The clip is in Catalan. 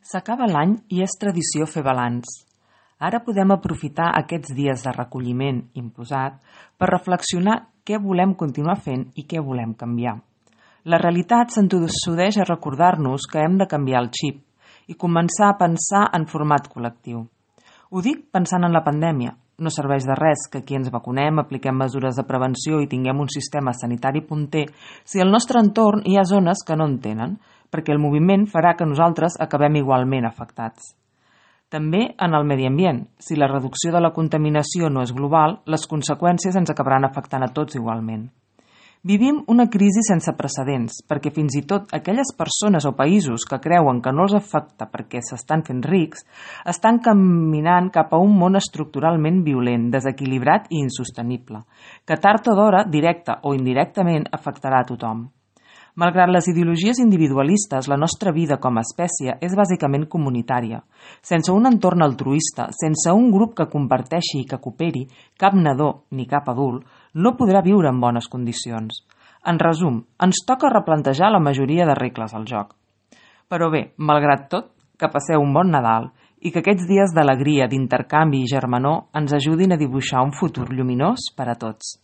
S'acaba l'any i és tradició fer balanç. Ara podem aprofitar aquests dies de recolliment imposat per reflexionar què volem continuar fent i què volem canviar. La realitat s'entossudeix a recordar-nos que hem de canviar el xip i començar a pensar en format col·lectiu. Ho dic pensant en la pandèmia. No serveix de res que aquí ens vacunem, apliquem mesures de prevenció i tinguem un sistema sanitari punter si al nostre entorn hi ha zones que no en tenen, perquè el moviment farà que nosaltres acabem igualment afectats. També en el medi ambient. Si la reducció de la contaminació no és global, les conseqüències ens acabaran afectant a tots igualment. Vivim una crisi sense precedents, perquè fins i tot aquelles persones o països que creuen que no els afecta perquè s'estan fent rics, estan caminant cap a un món estructuralment violent, desequilibrat i insostenible, que tard o d'hora, directa o indirectament, afectarà a tothom. Malgrat les ideologies individualistes, la nostra vida com a espècie és bàsicament comunitària. Sense un entorn altruista, sense un grup que comparteixi i que cooperi, cap nadó ni cap adult no podrà viure en bones condicions. En resum, ens toca replantejar la majoria de regles al joc. Però bé, malgrat tot, que passeu un bon Nadal i que aquests dies d'alegria, d'intercanvi i germanor ens ajudin a dibuixar un futur lluminós per a tots.